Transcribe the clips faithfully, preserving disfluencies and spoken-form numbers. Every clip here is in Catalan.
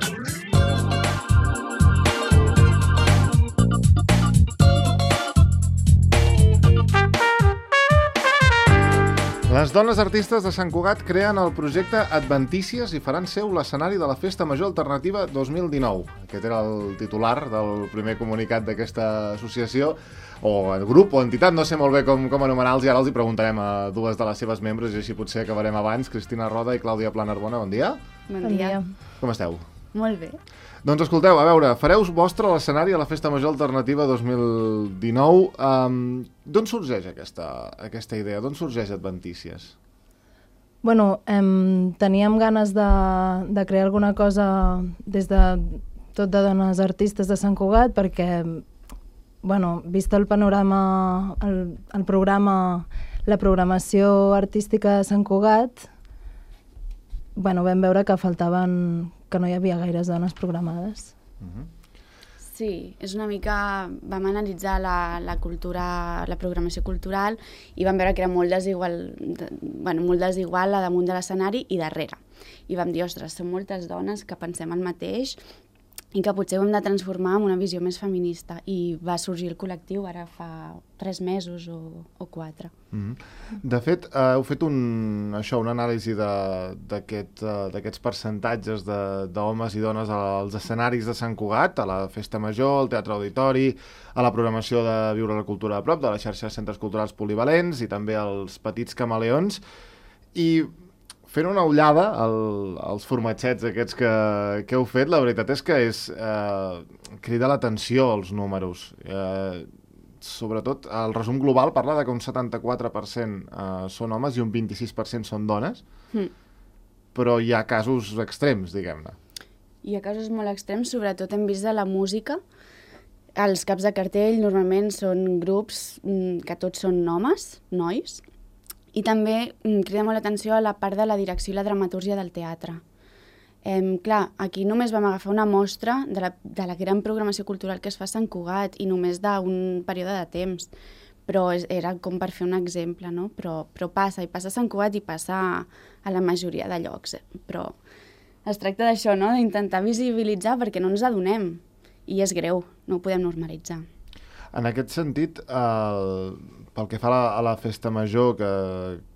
Les dones artistes de Sant Cugat creen el projecte Adventícies i faran seu l'escenari de la Festa Major Alternativa dos mil dinou. Aquest era el titular del primer comunicat d'aquesta associació, o el grup o entitat, no sé molt bé com, com anomenar-los, i ara els hi preguntarem a dues de les seves membres i així potser acabarem abans. Cristina Roda i Clàudia Planarbona, bon dia. Bon dia. Com esteu? Molt bé. Doncs escolteu, a veure, fareu vostre l'escenari a la Festa Major Alternativa dos mil dinou. Um, D'on sorgeix aquesta, aquesta idea? D'on sorgeix Adventícies? Bueno, em, teníem ganes de, de crear alguna cosa des de tot de dones artistes de Sant Cugat perquè, bueno, vist el panorama, el, el programa, la programació artística de Sant Cugat, bueno, vam veure que faltaven, que no hi havia gaires dones programades. Uh-huh. Sí, és una mica... Vam analitzar la, la cultura, la programació cultural i vam veure que era molt desigual, de, bueno, molt desigual a damunt de l'escenari i darrere. I vam dir, ostres, som moltes dones que pensem el mateix i que potser ho hem de transformar en una visió més feminista. I va sorgir el col·lectiu ara fa tres mesos o, o quatre. Mm-hmm. De fet, eh, heu fet un, això, una anàlisi d'aquests aquest, uh, percentatges d'homes i dones als escenaris de Sant Cugat, a la Festa Major, al Teatre Auditori, a la programació de Viure la Cultura a prop, de la xarxa de centres culturals polivalents i també als Petits Camaleons. I fent una ullada al, als formatgets aquests que, que heu fet, la veritat és que és eh, crida l'atenció els números. Eh, sobretot, el resum global parla de que un setanta-quatre per cent eh, són homes i un vint-i-sis per cent són dones, mm. però hi ha casos extrems, diguem-ne. Hi ha casos molt extrems, sobretot hem vist de la música. Els caps de cartell normalment són grups mm, que tots són homes, nois, i també mm, crida molt l'atenció a la part de la direcció i la dramatúrgia del teatre. Eh, clar, aquí només vam agafar una mostra de la, de la gran programació cultural que es fa a Sant Cugat i només d'un període de temps, però és, era com per fer un exemple, no? Però, però passa, i passa a Sant Cugat i passa a, a la majoria de llocs. Eh? Però es tracta d'això, no? D'intentar visibilitzar perquè no ens adonem, i és greu, no ho podem normalitzar. En aquest sentit, el, pel que fa a la, a la Festa Major, que,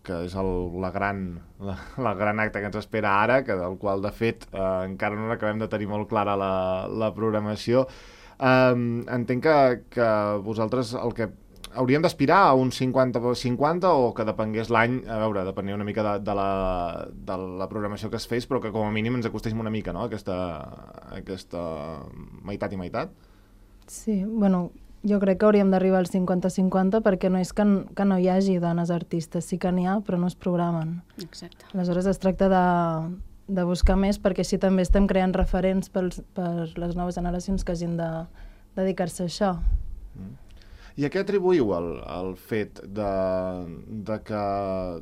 que és el, la, gran, la, la gran acte que ens espera ara, que del qual, de fet, eh, encara no acabem de tenir molt clara la, la programació, eh, entenc que, que vosaltres el que hauríem d'aspirar a un cinquanta cinquanta o que depengués l'any, a veure, depenia una mica de, de, la, de la programació que es fes, però que com a mínim ens acostéssim una mica, no?, aquesta, aquesta meitat i meitat. Sí, bueno, jo crec que hauríem d'arribar al cinquanta cinquanta perquè no és que, que no hi hagi dones artistes, sí que n'hi ha, però no es programen. Exacte. Aleshores es tracta de, de buscar més perquè així també estem creant referents pels, per les noves generacions que hagin de dedicar-se a això. Mm. I a què atribuïu el, el fet de, de, que,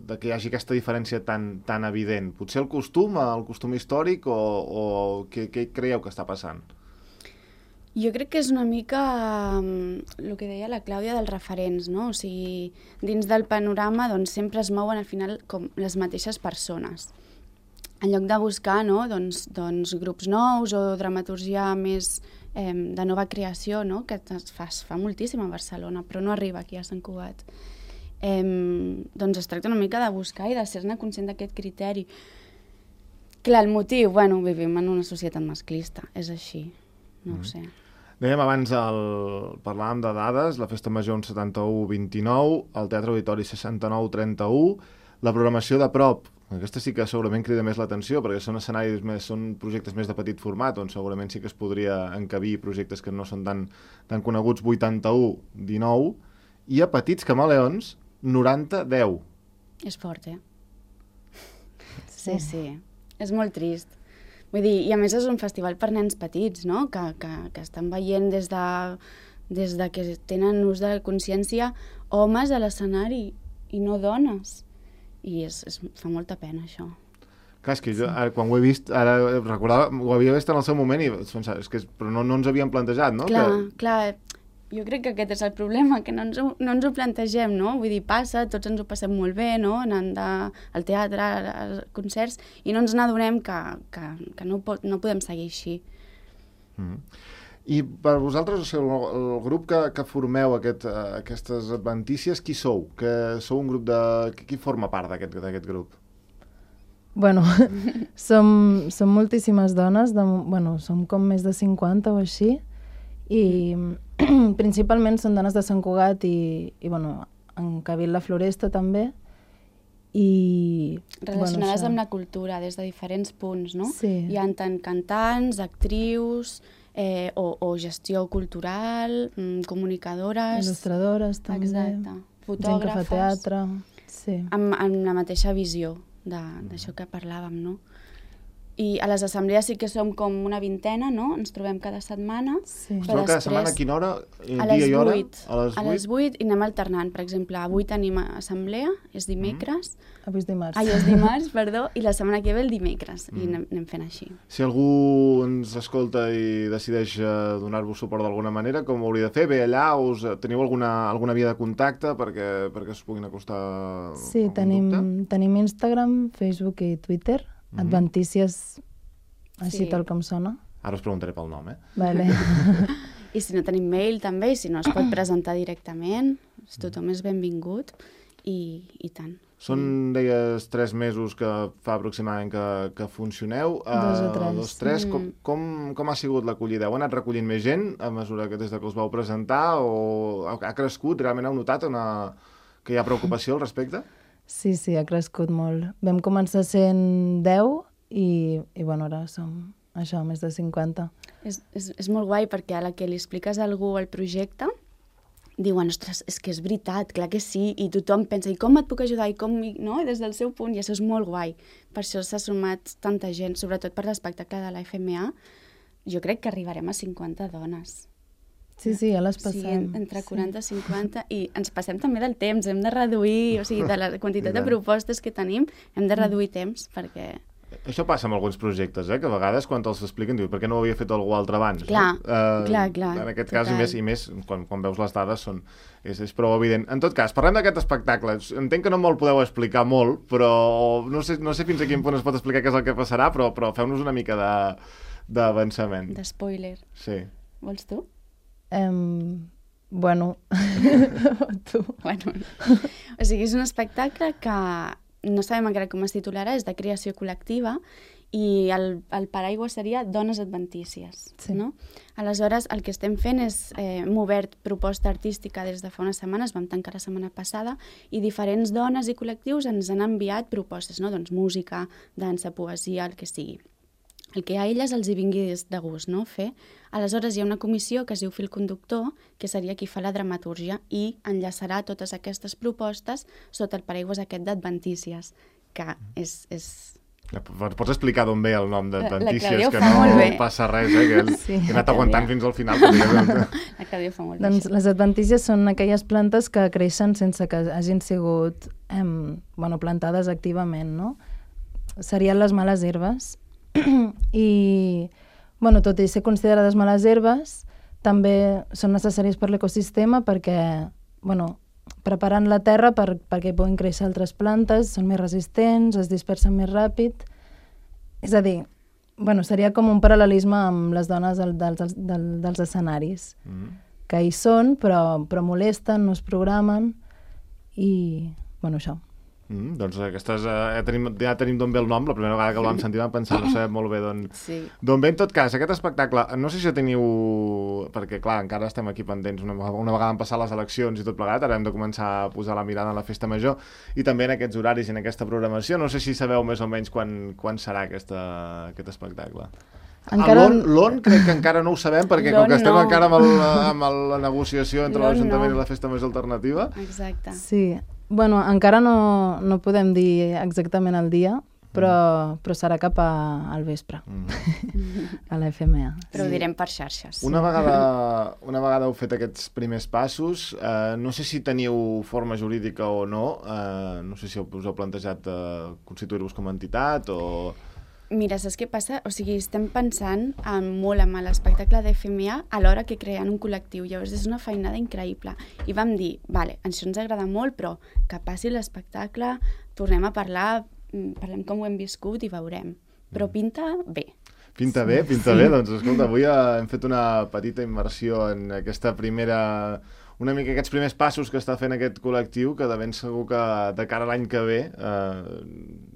de que hi hagi aquesta diferència tan, tan evident? Potser el costum, el costum històric, o, o què, què creieu que està passant? Jo crec que és una mica um, el que deia la Clàudia dels referents, no? O sigui, dins del panorama doncs, sempre es mouen al final com les mateixes persones. En lloc de buscar, no? doncs, doncs, grups nous o dramatúrgia més eh, de nova creació, no? Que es fa, es fa moltíssim a Barcelona, però no arriba aquí a Sant Cugat. Eh, doncs es tracta una mica de buscar i de ser-ne conscient d'aquest criteri. Clar, el motiu, bueno, vivim en una societat masclista, és així, no mm. ho sé. Dèiem abans, el, parlàvem de dades, la Festa Major un setanta-u vint-i-nou, el Teatre Auditori seixanta-nou trenta-u, la programació de prop, aquesta sí que segurament crida més l'atenció, perquè són escenaris més, són projectes més de petit format, on segurament sí que es podria encabir projectes que no són tan, tan coneguts, vuitanta-u dinou, i a Petits Camaleons, noranta deu. És fort, eh? Sí, sí, és molt trist. Vull dir, i a més és un festival per nens petits, no? Que, que, que estan veient des de, des de que tenen ús de consciència homes a l'escenari i no dones. I és, és, fa molta pena, això. Clar, és que jo, ara, quan ho he vist, ara recordava, ho havia vist en el seu moment, i és que, però no, no ens havíem plantejat, no? Clar, que... clar, jo crec que aquest és el problema, que no ens ho, no ens ho plantegem, no? Vull dir, passa, tots ens ho passem molt bé, no? Anant de, al teatre, als concerts, i no ens n'adonem que, que, que no, pot, no podem seguir així. Mm. I per vosaltres, o sigui, el, el grup que, que formeu aquest, uh, aquestes adventícies, qui sou? Que sou un grup de... Qui forma part d'aquest d'aquest grup? Bueno, som, som moltíssimes dones, de, bueno, som com més de cinquanta o així, i principalment són dones de Sant Cugat i, i bueno, en Cabil la Floresta també. I, relacionades bueno, amb la cultura des de diferents punts, no? Sí. Hi ha tant cantants, actrius, eh, o, o gestió cultural, mm, comunicadores... Il·lustradores també. Exacte. Fotògrafes. Gent que fa teatre. Sí. Amb, amb la mateixa visió d'això que parlàvem, no? I a les assemblees sí que som com una vintena, no? Ens trobem cada setmana. Sí. Us trobeu cada setmana a quina hora? A les dia i hora? vuit. A les A les vuit i anem alternant. Per exemple, avui tenim assemblea, és dimecres. Mm. Avui és dimarts. Ai, és dimarts, perdó, i la setmana que ve el dimecres. Mm. I anem, anem fent així. Si algú ens escolta i decideix uh, donar-vos suport d'alguna manera, com ho hauria de fer? Bé, allà us, teniu alguna, alguna via de contacte perquè, perquè us puguin acostar Sí, tenim, tenim Instagram, Facebook i Twitter. Mm-hmm. Adventícies, així Sí. tal com sona. Ara us preguntaré pel nom, eh? Vale. I si no tenim mail també, i si no es pot presentar directament, tothom és benvingut i, i tant. Són, deies, tres mesos que fa aproximadament que, que funcioneu. Dos o tres. Uh, dos, tres. Mm. Com, com, com ha sigut l'acollida? Heu anat recollint més gent a mesura que des de que us vau presentar o ha, ha crescut? Realment heu notat una, que hi ha preocupació al respecte? Sí, sí, ha crescut molt. Vam començar sent deu i, i bueno, ara som això, més de cinquanta. És, és, és molt guai perquè a la que li expliques a algú el projecte diuen, ostres, és que és veritat, clar que sí, i tothom pensa, i com et puc ajudar, i com, no? I des del seu punt, i això és molt guai. Per això s'ha sumat tanta gent, sobretot per l'espectacle de la F M A, jo crec que arribarem a cinquanta dones. Sí, sí, ja les O sigui, passem. entre quaranta i cinquanta, i ens passem també del temps, hem de reduir, o sigui, de la quantitat de propostes que tenim, hem de reduir temps, perquè... Això passa amb alguns projectes, eh? Que a vegades quan te'ls expliquen diu per què no ho havia fet algú altre abans? Clar, no? uh, clar, clar, En aquest total. cas, i més, i més quan, quan veus les dades, són, és, és prou evident. En tot cas, parlem d'aquest espectacle. Entenc que no me'l podeu explicar molt, però no sé, no sé fins a quin punt es pot explicar què és el que passarà, però, però feu-nos una mica d'avançament. De spoiler. Sí. Vols tu? Um, bueno, tu. Bueno, o sigui, és un espectacle que no sabem encara com es titularà, és de creació col·lectiva i el, el paraigua seria Dones Adventícies. Sí. No? Aleshores, el que estem fent és, eh, hem obert proposta artística des de fa unes setmanes, vam tancar la setmana passada, i diferents dones i col·lectius ens han enviat propostes, no? Doncs música, dansa, poesia, el que sigui. El que a elles els hi vingui de gust, no? Fer. Aleshores hi ha una comissió que es diu Fil Conductor, que seria qui fa la dramatúrgia i enllaçarà totes aquestes propostes sota el paraigües aquest d'Adventícies, que és... és... Pots explicar d'on ve el nom d'Adventícies, La que fa molt no bé. passa res, eh? Que Sí. he anat aguantant fins al final. Perquè... La Clàudia fa molt bé. Doncs les adventícies són aquelles plantes que creixen sense que hagin sigut em, bueno, plantades activament, no? Serien les males herbes. I, bueno, tot i ser considerades males herbes, també són necessàries per l'ecosistema perquè, bueno, preparant la terra per, perquè hi puguin créixer altres plantes, són més resistents, es dispersen més ràpid. És a dir, bueno, seria com un paral·lelisme amb les dones del, dels, del, dels escenaris, Mm. que hi són, però, però molesten, no es programen, i, bueno, això. Mm, doncs aquestes, eh, ja tenim, ja tenim d'on ve el nom, la primera vegada que el vam sentir vam pensar, no sabem molt bé d'on Sí. d'on ve. En tot cas, aquest espectacle, no sé si teniu, perquè clar, encara estem aquí pendents, una, una vegada han passat les eleccions i tot plegat, ara hem de començar a posar la mirada en la festa major, i també en aquests horaris i en aquesta programació, no sé si sabeu més o menys quan, quan serà aquesta, aquest espectacle. Encara... L'on crec que encara no ho sabem, perquè com que estem no. encara amb, el, amb el, la negociació entre L'on l'Ajuntament no. i la festa major alternativa. Exacte. Sí, bueno, encara no, no podem dir exactament el dia, però, però serà cap a, al vespre, Mm. a la F M A. Però ho direm per xarxes. Una vegada, una vegada heu fet aquests primers passos, eh, no sé si teniu forma jurídica o no, eh, no sé si us heu plantejat eh, constituir-vos com a entitat o... Mira, saps què passa? O sigui, estem pensant en, molt en l'espectacle de F M A alhora que creant un col·lectiu. Llavors és una feinada increïble. I vam dir, vale, això ens agrada molt, però que passi l'espectacle, tornem a parlar, parlem com ho hem viscut i veurem. Però pinta bé. Pinta bé, pinta sí. bé. Doncs escolta, avui hem fet una petita immersió en aquesta primera... una mica aquests primers passos que està fent aquest col·lectiu, que de ben segur que de cara a l'any que ve eh,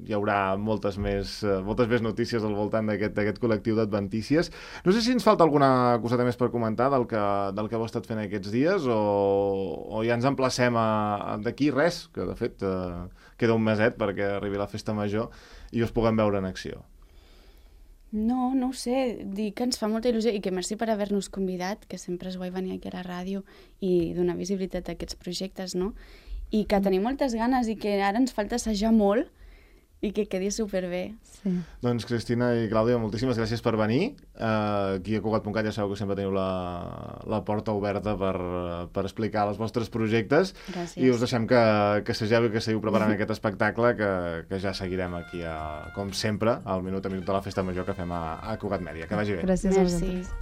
hi haurà moltes més, eh, moltes més notícies al voltant d'aquest col·lectiu d'adventícies. No sé si ens falta alguna coseta més per comentar del que, del que heu estat fent aquests dies o, o ja ens emplacem a, a d'aquí res, que de fet eh, queda un meset perquè arribi la festa major i us puguem veure en acció. No, no ho sé, dir que ens fa molta il·lusió i que merci per haver-nos convidat, que sempre és guai venir aquí a la ràdio i donar visibilitat a aquests projectes, no? I que tenim moltes ganes i que ara ens falta assajar molt i que quedi superbé. Sí. Doncs Cristina i Clàudia, moltíssimes gràcies per venir. Uh, aquí a Cugat punt cat ja sabeu que sempre teniu la, la porta oberta per, per explicar els vostres projectes. Gràcies. I us deixem que, que segeu i que seguiu preparant aquest espectacle que, que ja seguirem aquí, a, com sempre, al minut a minut de la Festa Major que fem a, a Cugat Mèdia. Que vagi bé. Gràcies a Merci. vosaltres.